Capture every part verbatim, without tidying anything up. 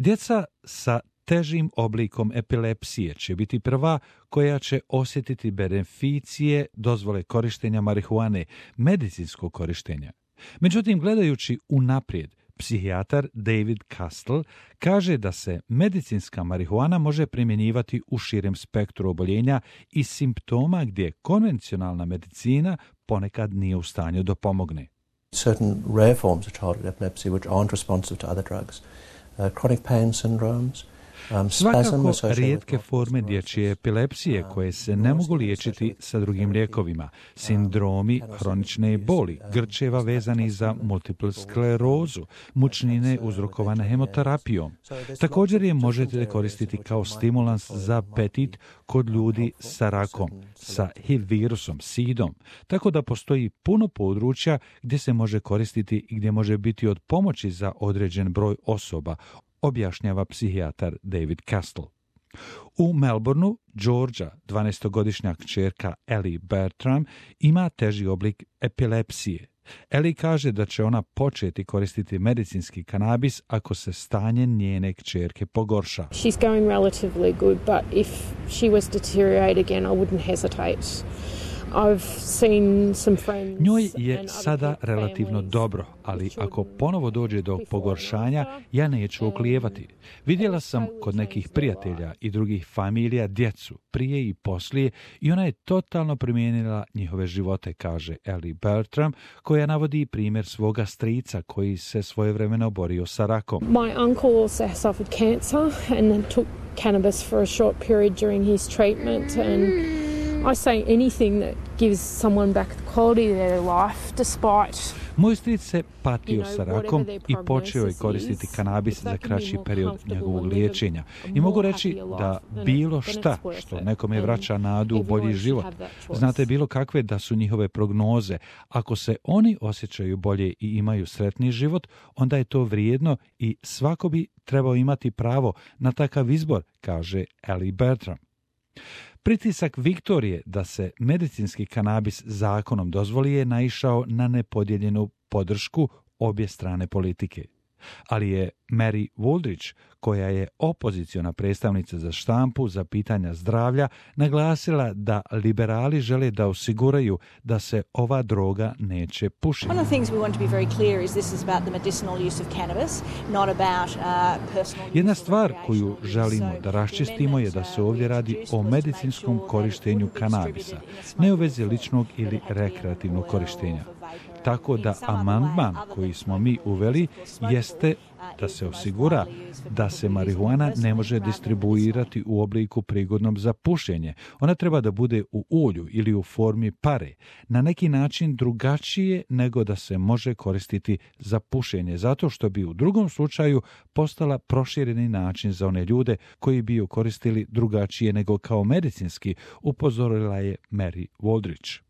Djeca sa težim oblikom epilepsije će biti prva koja će osjetiti beneficije dozvole korištenja marihuane, medicinskog korištenja. Međutim, gledajući unaprijed, psihijatar David Castle kaže da se medicinska marihuana može primjenjivati u širem spektru oboljenja i simptoma gdje konvencionalna medicina ponekad nije u stanju da pomogne. Certain rare forms of childhood epilepsy which aren't responsive to other drugs, uh, chronic pain syndromes. Svakako rijetke forme dječje epilepsije koje se ne mogu liječiti sa drugim lijekovima, sindromi hronične boli, grčeva vezani za multiplu sklerozu, mučnine uzrokovane hemoterapijom. Također je možete koristiti kao stimulans za apetit kod ljudi sa rakom, sa H I V virusom, sidom, tako da postoji puno područja gdje se može koristiti i gdje može biti od pomoći za određen broj osoba, objašnjava psihijatar David Castle. U Melbourneu, Georgia, dvanaestogodišnja kćerka Ellie Bertram ima teži oblik epilepsije. Ellie kaže da će ona početi koristiti medicinski kanabis ako se stanje njene kćerke pogorša. She's going relatively good, but if she was to deteriorate again, I wouldn't hesitate. Njoj je sada relativno dobro, ali ako ponovo dođe do pogoršanja, ja neću oklijevati. Vidjela sam kod nekih prijatelja i drugih familija djecu, prije i poslije, i ona je totalno promijenila njihove živote, kaže Ellie Bertram, koja navodi primjer svoga strica koji se svojevremeno borio sa rakom. My uncle also suffered cancer and took cannabis for a short period during his treatment, and I say anything that gives someone back the quality of their life despite. Moj stric se patio sa rakom i počeo je koristiti kanabis za kraći period njegovog liječenja. I mogu reći da bilo šta što nekome vraća nadu u bolji život. Znate bilo kakve da su njihove prognoze. Ako se oni osjećaju bolje i imaju sretniji život, onda je to vrijedno i svako bi trebao imati pravo na takav izbor, kaže Ellie Bertram. Pritisak Viktorije da se medicinski kanabis zakonom dozvoli je naišao na nepodijeljenu podršku obje strane politike. Ali je Mary Wooldridge, koja je opoziciona predstavnica za štampu za pitanja zdravlja, naglasila da liberali žele da osiguraju da se ova droga neće pušiti. Jedna stvar koju želimo da raščistimo je da se ovdje radi o medicinskom korištenju kanabisa, ne u vezi ličnog ili rekreativnog korištenja. Tako da amandman koji smo mi uveli jeste da se osigura da se marihuana ne može distribuirati u obliku prigodnom za pušenje. Ona treba da bude u ulju ili u formi pare, na neki način drugačije nego da se može koristiti za pušenje, zato što bi u drugom slučaju postala prošireni način za one ljude koji bi ju koristili drugačije nego kao medicinski, upozorila je Mary Wooldridge.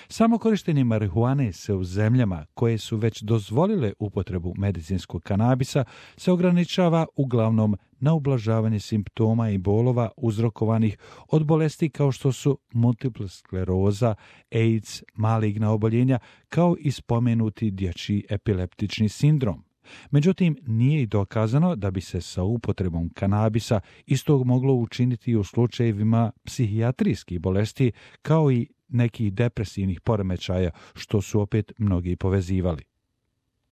Samo korištenje marihuane se u zemljama koje su već dozvolile upotrebu medicinskog kanabisa se ograničava uglavnom na ublažavanje simptoma i bolova uzrokovanih od bolesti kao što su multipla skleroza, AIDS, maligna oboljenja, kao i spomenuti dječji epileptični sindrom. Međutim, nije i dokazano da bi se sa upotrebom kanabisa istog moglo učiniti u slučajevima psihijatrijskih bolesti kao i nekih depresivnih poremećaja, što su opet mnogi povezivali.